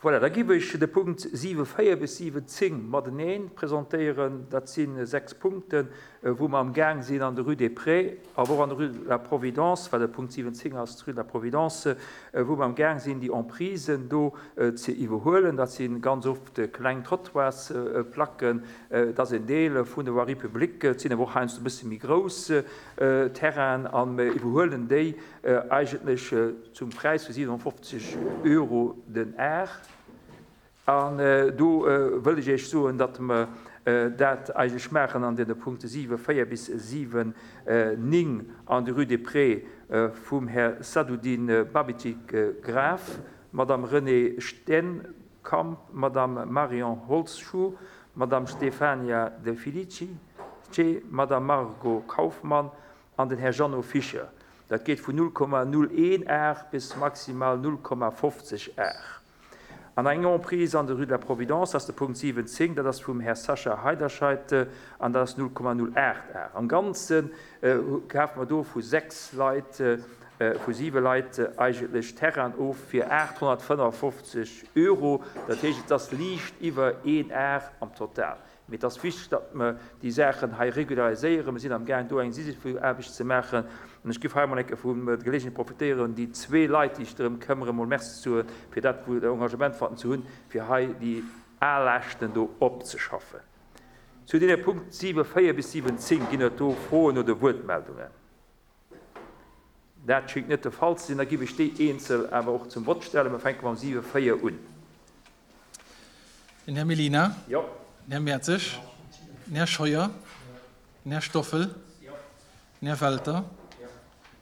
Voilà, da giff ech de Punkt 7, 4 bis 7, 10 mateneen presentéieren. Dat si sechs Punkten, wou mer am Gaang sinn an der Rue des Prés, awer och an der Rue de la Providence, well de Punkt 7, 10 ass d'Rue de la Providence, wou mer am Gaang sinn, déi Emprisen do ze iwwerhuelen. Dat si ganz oft kleng Trottoirsplacken, dat ass en Deel vun der Voirie publique, et sinn awer och heiansdo e bësse méi grouss Terrainen a mer iwwerhuelen déi eigentlech zum Präis vu 57 Euro den Ar. An do wëll ech Iech soen, datt mer dat eigentlech maachen an deene Punkte 7, 4 bis 7, 9 an der Rue des Prés vum Här Sadoudine Babitic-Graf, Madame Renée Steenkamp, Madame Marion Holzschuh, Madame Stefania De Felice, Madame Margot Kaufmann an den Här Jeannot Fischer. Dat geet vun 0,01 Ar bis maximal 0,50 Ar. An eng Emprise an der Rue de la Providence ass de Punkt 17, dat ass vum Här Sascha Heiderscheid an dat ass 0,08 Ar. Am Ganze kafe mer do vu sechs Leit, vu siwe Leit eigentlech Terrainen of fir 855 Euro. Dat heescht, et ass liicht iwwer een Ar am Total. Mee et ass wichteg, datt mer déi Saachen hei regulariséieren. Mir sinn amgaang, do eng Sisypheaarbecht ze maachen. An ech géif hei emol eng Kéier vun der Geleegenheet profitéieren, déi zwee Leit, déi sech drëm këmmere, emol Merci ze soen, fir dat Engagement, wat se hunn, fir hei déi Aalaaschten do opzeschaffen. Zu deene Punkt 7, 4 bis 7, 10 ginn et do Froen oder Wuertmeldungen? Dat schéngt net de Fall ze sinn. Da géif ech déi eenzel awer och zum Vott stellen. Mir fänke mam 7, 4 un. Den Här Mellina. Jo. Den Här Mertzig. Den Här Scheuer. Den Här Stoffel. Den Här Welter.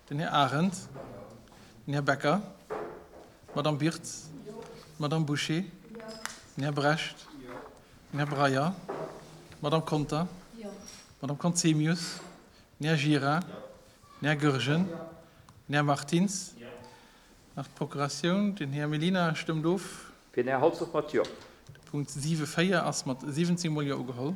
Den Här Arendt. Den Här Becker. D'Madame Birtz. D'Madame Bouché. Den Här Brecht. Den Här Breyer. D'Madame Conter. D'Madame Conzemius. Den Här Gira. Den Här Goergen. Den Här Martins. Nach d'Procuratioun. Den Här Mellina stëmmt of. Fir den Här Holtz och mat Jo. De Punkt 7, 4 ass mat 17 mol Jo ugeholl.